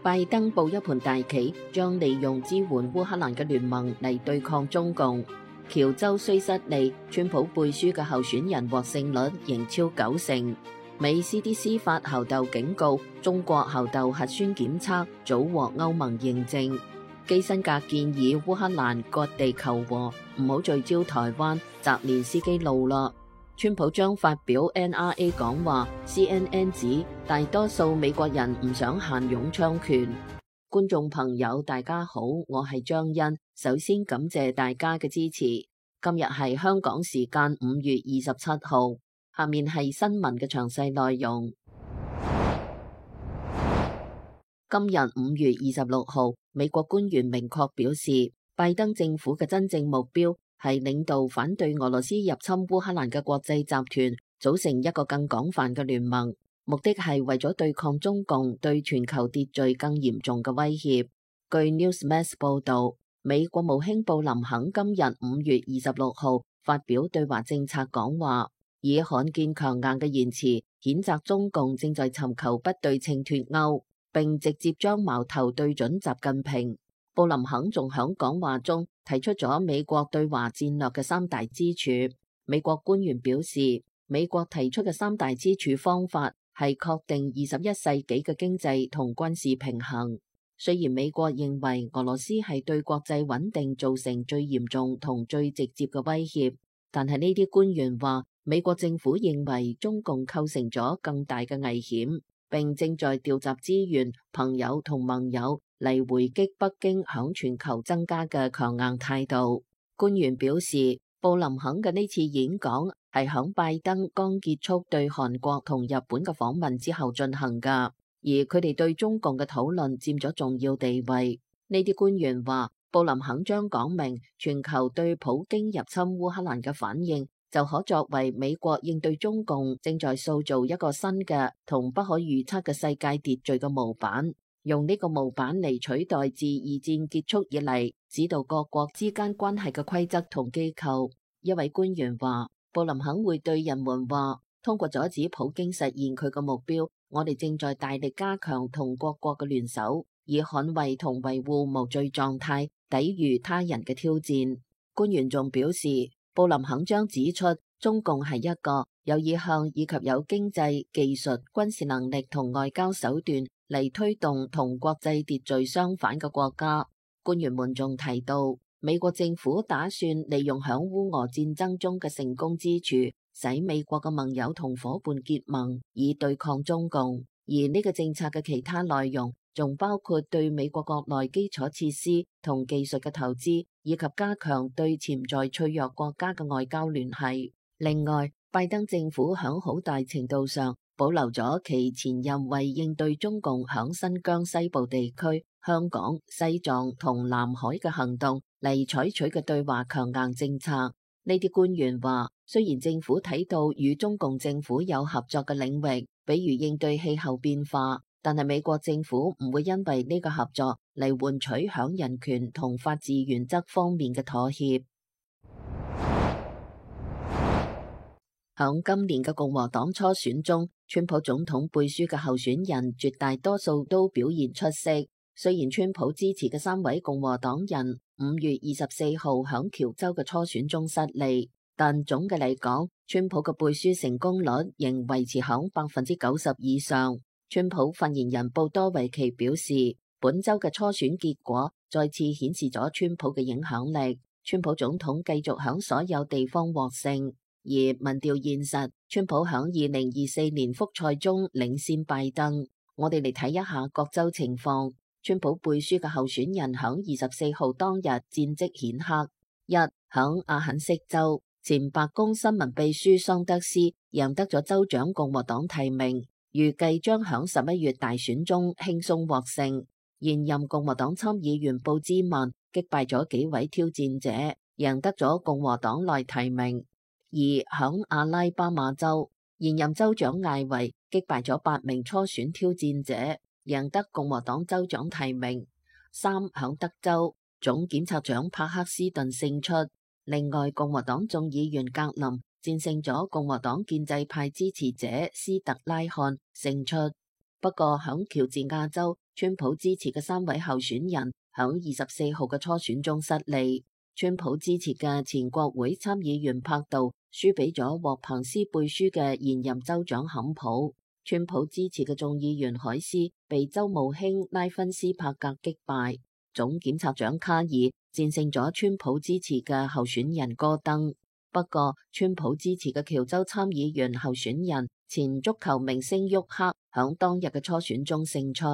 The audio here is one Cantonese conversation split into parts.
拜登布一盤大棋，將利用支援烏克蘭嘅聯盟嚟對抗中共。喬州雖失利，川普背書嘅候選人獲勝率仍超90%。美 CDC 發猴痘警告，中國猴痘核酸檢測早獲歐盟認證。基辛格建議烏克蘭割地求和，唔好聚焦台灣，澤連斯基怒啦。川普將發表 NRA 講話 ，CNN 指大多數美國人唔想限擁槍權。觀眾朋友大家好，我係張欣，首先感謝大家嘅支持。今日係香港時間5月27號，下面係新聞嘅詳細內容。今日5月26號，美國官員明確表示，拜登政府嘅真正目標係領導反對俄羅斯入侵烏克蘭嘅國際集團，組成一個更廣泛嘅聯盟，目的係為咗對抗中共對全球秩序更嚴重嘅威脅。據 Newsmax 報導，美國務卿布林肯今日5月26號發表對華政策講話，以罕見強硬嘅言辭譴責中共正在尋求不對稱脫歐，並直接將矛頭對準習近平。布林肯仲響講話中提出咗美國對華戰略嘅3大支柱。美國官員表示，美國提出嘅3大支柱方法係確定21世紀嘅經濟同軍事平衡。雖然美國認為俄羅斯係對國際穩定造成最嚴重同最直接嘅威脅，但係呢啲官員話，美國政府認為中共構成咗更大嘅危險，並正在調集資源、朋友同盟友嚟回擊北京響全球增加嘅強硬態度。官員表示，布林肯嘅呢次演講係響拜登剛結束對韓國同日本嘅訪問之後進行㗎，而佢哋對中共嘅討論佔咗重要地位。呢啲官員話，布林肯將講明全球對普京入侵烏克蘭嘅反應，就可作為美國應對中共正在塑造一個新嘅同不可預測嘅世界秩序嘅模板。用呢個模板嚟取代自二戰結束以嚟指導各國之間關係嘅規則同機構。一位官員話，布林肯會對人們話，通過阻止普京實現佢嘅目標，我哋正在大力加強同各國嘅聯手，以捍衛同維護無罪狀態，抵禦他人嘅挑戰。官員仲表示，布林肯將指出，中共係一個有意向以及有經濟、技術、軍事能力同外交手段嚟推動同國際秩序相反嘅國家。官員們仲提到，美國政府打算利用響烏俄戰爭中嘅成功之處，使美國嘅盟友同夥伴結盟，以對抗中共。而呢個政策嘅其他內容，仲包括對美國國內基礎設施同技術嘅投資，以及加強對潛在脆弱國家嘅外交聯繫。另外，拜登政府響好大程度上保留咗其前任為應對中共響新疆西部地區、香港、西藏同南海嘅行動嚟採取嘅對華強硬政策。呢啲官員話，雖然政府睇到與中共政府有合作嘅領域，比如應對氣候變化，但係美國政府唔會因為呢個合作嚟換取響人權同法治原則方面嘅妥協。響今年嘅共和黨初選中，川普總統背書嘅候選人絕大多數都表現出色。雖然川普支持嘅3位共和黨人5月24號響喬州嘅初選中失利，但總嘅嚟講，川普嘅背書成功率仍維持響90%以上。川普發言人布多維奇表示，本周嘅初選結果再次顯示咗川普嘅影響力，川普總統繼續響所有地方獲勝。而民調現實，川普響2024年複賽中領先拜登。我哋嚟睇一下各州情況。川普背書嘅候選人響24號當日戰績顯赫。響阿肯色州，前白宮新聞秘書桑德斯贏得咗州長共和黨提名，預計將響11月大選中輕鬆獲勝。現任共和黨參議員布茲曼擊敗咗幾位挑戰者，贏得咗共和黨內提名。而響阿拉巴馬州，現任州長艾維擊敗咗8名初選挑戰者，贏得共和黨州長提名。響德州，總檢察長帕克斯頓勝出。另外，共和黨眾議員格林戰勝咗共和黨建制派支持者斯特拉漢勝出。不過響喬治亞州，川普支持嘅3位候選人響24號嘅初選中失利。川普支持嘅前國會參議員柏杜輸俾咗獲彭斯背書嘅現任州長坎普。川普支持嘅眾議員海斯被州務卿拉芬斯帕格擊敗。總檢察長卡爾戰勝咗川普支持嘅候選人戈登。不過，川普支持嘅喬州參議員候選人前足球明星沃克響當日嘅初選中勝出。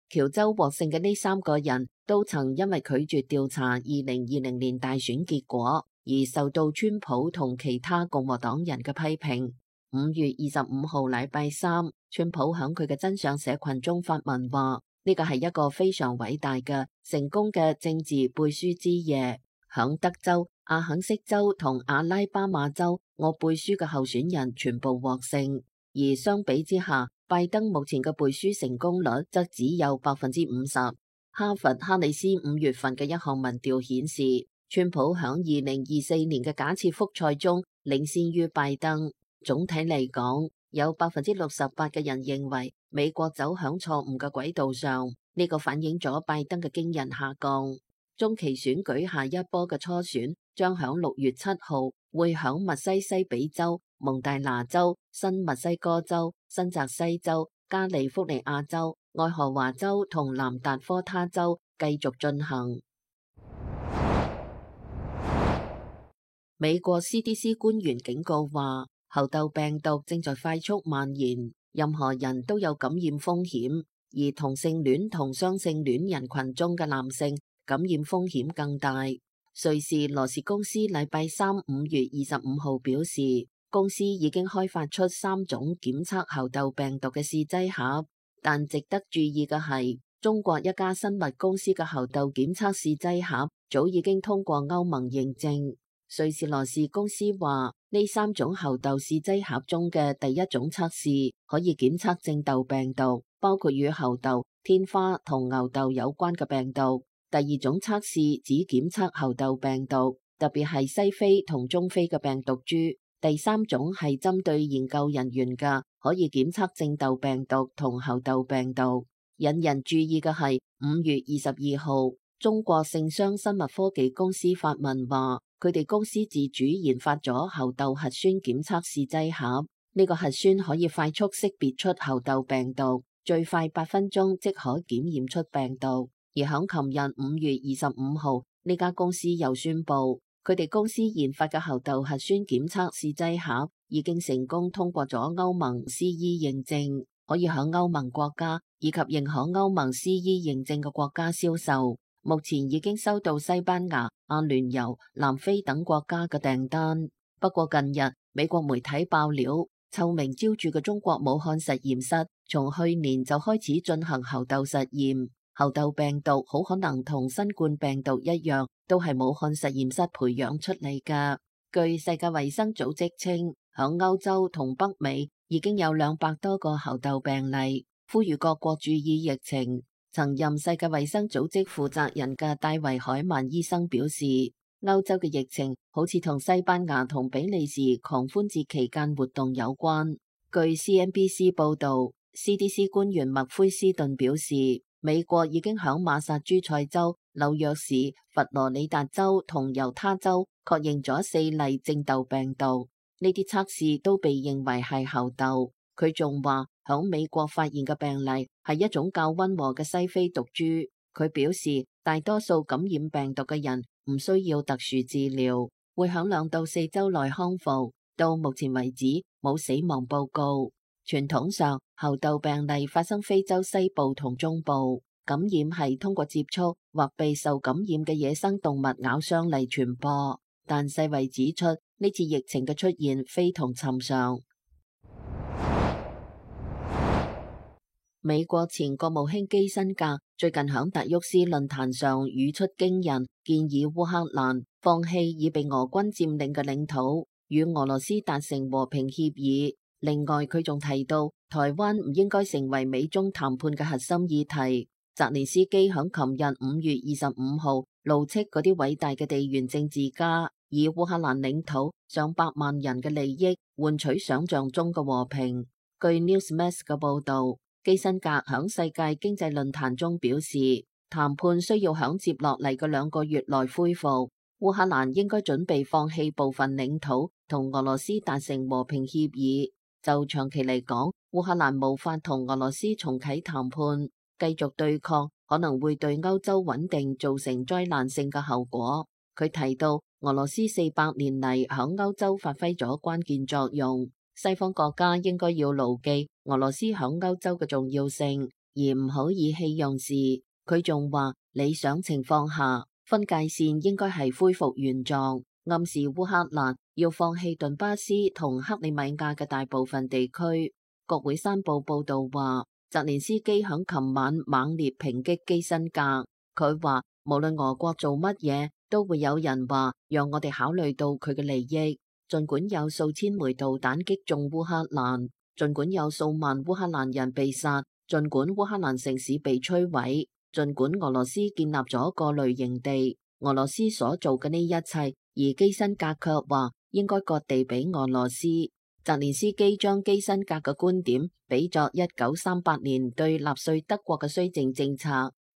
喬州獲勝嘅呢3個人都曾因為拒絕調查2020年大選結果而受到川普同其他共和黨人嘅批評。5月25號禮拜三，川普響佢嘅真相社群中發文話：呢個係一個非常偉大嘅成功嘅政治背書之夜。響德州、阿肯色州同阿拉巴馬州，我背書嘅候選人全部獲勝，而相比之下，拜登目前嘅背書成功率則只有50%。哈佛哈里斯5月份嘅一項民調顯示，川普響2024年嘅假設複賽中領先於拜登。總體嚟講，有68%嘅人認為美國走響錯誤嘅軌道上，呢個反映咗拜登嘅驚人下降。中期選舉下一波嘅初選將響6月7號會響密西西比州、蒙大拿州、新墨西哥州、新澤西州、加利福尼亞州、愛荷華州同南達科他州繼續進行。美國 CDC 官員警告話，猴痘病毒正在快速蔓延，任何人都有感染風險，而同性戀同雙性戀人群中嘅男性感染風險更大。瑞士羅氏公司禮拜三5月25號表示，公司已經開發出3種檢測猴痘病毒嘅試劑盒，但值得注意嘅係，中國一家生物公司嘅猴痘檢測試劑盒早已經通過歐盟認證。瑞士羅氏公司話，呢3種猴痘試劑盒中嘅第一種測試可以檢測正痘病毒，包括與猴痘、天花同牛痘有關嘅病毒。第二種測試只檢測猴痘病毒，特別係西非同中非嘅病毒株。第3種係針對研究人員嘅，可以檢測正痘病毒同猴痘病毒。引人注意嘅係5月22號，中國聖商生物科技公司發文話，佢哋公司自主研發咗猴痘核酸檢測試劑盒。呢個核酸可以快速識別出猴痘病毒，最快8分鐘即可檢驗出病毒。而響琴日5月25號，呢家公司又宣布，佢哋公司研發嘅猴痘核酸檢測試劑盒已經成功通過咗歐盟 CE 認證，可以響歐盟國家以及認可歐盟 CE 認證嘅國家銷售。目前已經收到西班牙、阿聯酋、南非等國家嘅訂單。不過近日美國媒體爆料，臭名昭著嘅中國武漢實驗室從去年就開始進行猴痘實驗。猴痘病毒好可能同新冠病毒一樣，都係武漢實驗室培養出嚟㗎。據世界衛生組織稱，響歐洲同北美已經有200多個猴痘病例，呼籲各國注意疫情。曾任世界衛生組織負責人嘅戴維海曼醫生表示，歐洲嘅疫情好似同西班牙同比利時狂歡節期間活動有關。據 CNBC 報導，CDC 官員麥奎斯頓表示，美國已經響馬薩諸塞州、紐約市、佛羅里達州同猶他州確認咗4例正痘病毒，呢啲測試都被認為係猴痘。佢仲話，響美國發現嘅病例係一種較溫和嘅西非毒株。佢表示，大多數感染病毒嘅人唔需要特殊治療，會響2到4週內康復。到目前為止，冇死亡報告。傳統上，猴痘病例發生非洲西部同中部，感染係通過接觸或被受感染嘅野生動物咬傷嚟傳播。但世衛指出，呢次疫情嘅出現非同尋常。美國前國務卿基辛格最近響達沃斯論壇上語出驚人，建議烏克蘭放棄已被俄軍佔領嘅領土，與俄羅斯達成和平協議。另外，佢仲提到台灣唔應該成為美中談判嘅核心議題。澤連斯基響琴日5月25號怒斥嗰啲偉大嘅地緣政治家以烏克蘭領土上百萬人嘅利益換取想象中嘅和平。據 Newsmax 嘅報道，基辛格響世界經濟論壇中表示，談判需要響接落嚟嘅2個月內恢復。烏克蘭應該準備放棄部分領土，同俄羅斯達成和平協議。就長期嚟講，烏克蘭無法同俄羅斯重啟談判，繼續對抗可能會對歐洲穩定造成災難性嘅後果。佢提到，俄羅斯400年嚟響歐洲發揮咗關鍵作用，西方國家應該要牢記俄羅斯響歐洲嘅重要性，而唔好意氣用事。佢仲話，理想情況下，分界線應該係恢復原狀，暗示烏克蘭要放棄頓巴斯同克里米亞嘅大部分地區。國會山報報道話，澤連斯基響琴晚猛烈抨擊基辛格。佢話，無論俄國做乜嘢，都會有人話讓我哋考慮到佢嘅利益。儘管有數千枚導彈擊中烏克蘭，儘管有數萬烏克蘭人被殺，儘管烏克蘭城市被摧毀，儘管俄羅斯建立咗過濾營地，俄羅斯所做嘅呢一切，而基辛格卻話應該割地俾俄羅斯。澤連斯基將基辛格嘅觀點比作1938年對納粹德國嘅綏靖政策。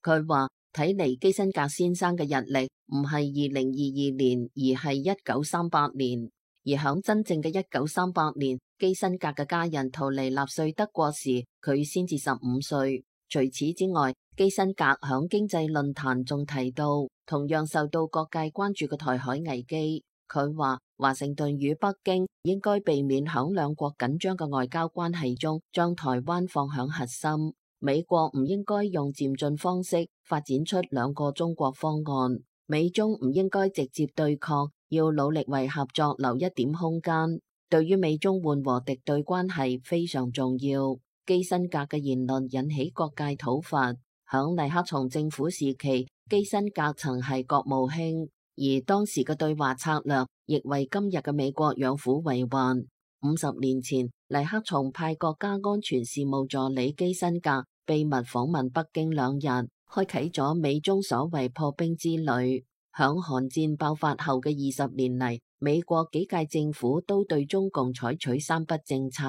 佢話，睇嚟基辛格先生嘅日曆唔係2022年，而係1938年。而響真正嘅1938年，基辛格嘅家人逃離納粹德國時，佢先至15歲。除此之外，基辛格響經濟論壇仲提到，同樣受到各界關注嘅台海危機。佢話，華盛頓與北京應該避免響兩國緊張嘅外交關係中，將台灣放響核心。美國唔應該用漸進方式發展出2個中國方案。美中唔應該直接對抗，要努力為合作留一點空間。對於美中緩和敵對關係非常重要。基辛格嘅言論引起各界討伐。響尼克松政府時期，基辛格曾係國務卿，而當時嘅對華策略亦為今日嘅美國養虎為患。50年前，尼克松派國家安全事務助理基辛格秘密訪問北京2日，開啟咗美中所謂破冰之旅。響韓戰爆發後嘅20年嚟，美國幾屆政府都對中共採取3不政策，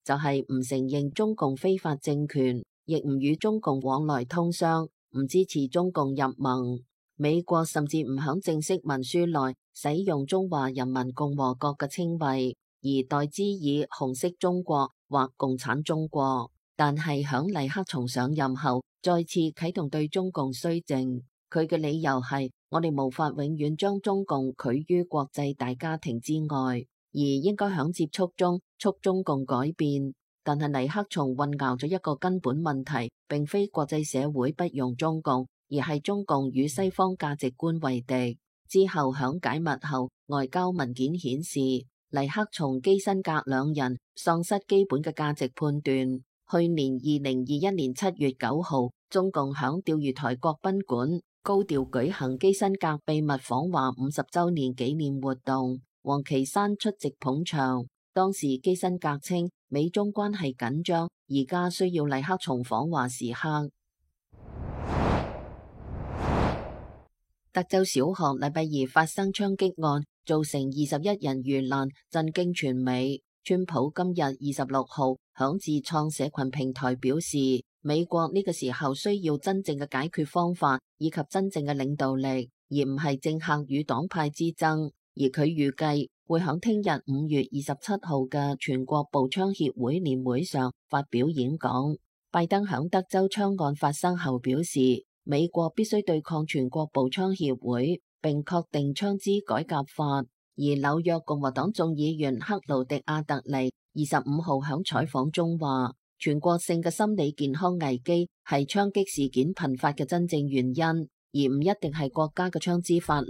就係唔承認中共非法政權，亦唔與中共往來通商，唔支持中共入盟。美國甚至唔響正式文書內使用中華人民共和國嘅稱謂，而代之以紅色中國或共產中國。但係響尼克松上任後，再次啟動對中共綏靖。佢嘅理由係，我哋無法永遠將中共拒於國際大家庭之外，而應該響接觸中促中共改變。但係尼克松混淆咗一個根本問題，並非國際社會不容中共，而係中共與西方價值觀為敵。之後響解密後，外交文件顯示，尼克松、基辛格2人喪失基本嘅價值判斷。去年2021年7月9號，中共響釣魚台國賓館高調舉行基辛格秘密訪華50週年紀念活動，王岐山出席捧場。當時基辛格稱美中關係緊張，而家需要尼克松訪華時刻。德州小學禮拜二發生槍擊案，造成21人遇難，震驚全美。川普今日26號響自創社群平台表示，美國呢個時候需要真正嘅解決方法，以及真正嘅領導力，而唔係政客與黨派之爭。而佢預計會響聽日5月27號嘅全國步槍協會年會上發表演講。拜登響德州槍案發生後表示，美國必須對抗全國步槍協會，並確定槍支改革法。而紐約共和黨眾議員克勞迪亞特尼25號響採訪中話，全國性嘅心理健康危機係槍擊事件頻發嘅真正原因，而唔一定係國家嘅槍支法律。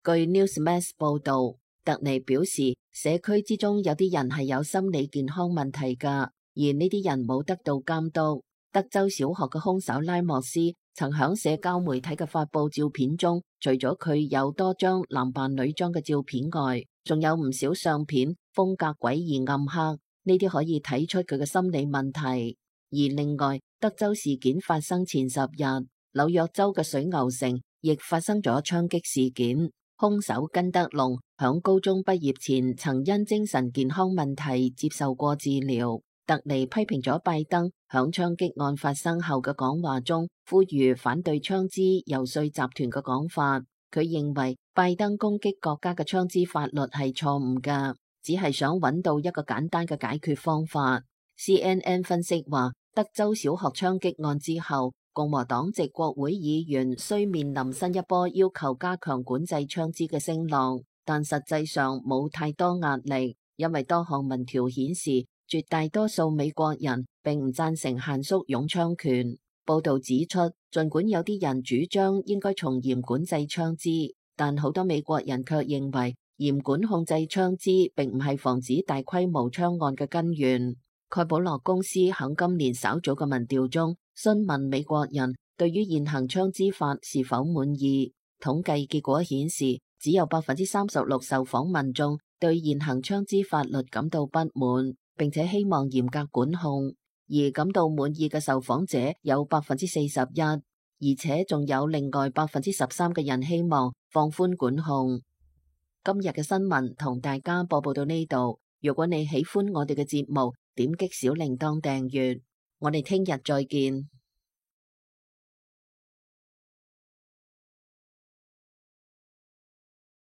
據 Newsmax 報道，特尼表示，社區之中有啲人係有心理健康問題㗎，而呢啲人冇得到監督。德州小學嘅兇手拉莫斯曾響社交媒體嘅發佈照片中，除咗佢有多張男扮女裝嘅照片外，仲有唔少相片風格詭異暗黑，呢啲可以睇出佢嘅心理問題。而另外，德州事件發生前10日，紐約州嘅水牛城亦發生咗槍擊事件，兇手根德龍響高中畢業前曾因精神健康問題接受過治療。特尼批評咗拜登響槍擊案發生後嘅講話中，呼籲反對槍支遊說集團嘅講法。佢認為拜登攻擊國家嘅槍支法律係錯誤㗎，只係想揾到一個簡單嘅解決方法。CNN 分析話，德州小學槍擊案之後，共和黨籍國會議員需面臨新一波要求加強管制槍支嘅聲浪，但實際上冇太多壓力，因為多項民調顯示，絕大多數美國人並唔贊成限縮擁槍權。報道指出，儘管有啲人主張應該從嚴管制槍支，但好多美國人卻認為嚴管控制槍支並唔係防止大規模槍案嘅根源。蓋普洛公司喺今年稍早嘅民調中詢問美國人對於現行槍支法是否滿意，統計結果顯示，只有36%受訪民眾對現行槍支法律感到不滿，並且希望嚴格管控，而感到滿意嘅受訪者有41%，而且仲有另外13%嘅人希望放寬管控。今日嘅新聞同大家播報到呢度，如果你喜歡我哋嘅節目，點擊小鈴鐺訂閱，我哋聽日再見。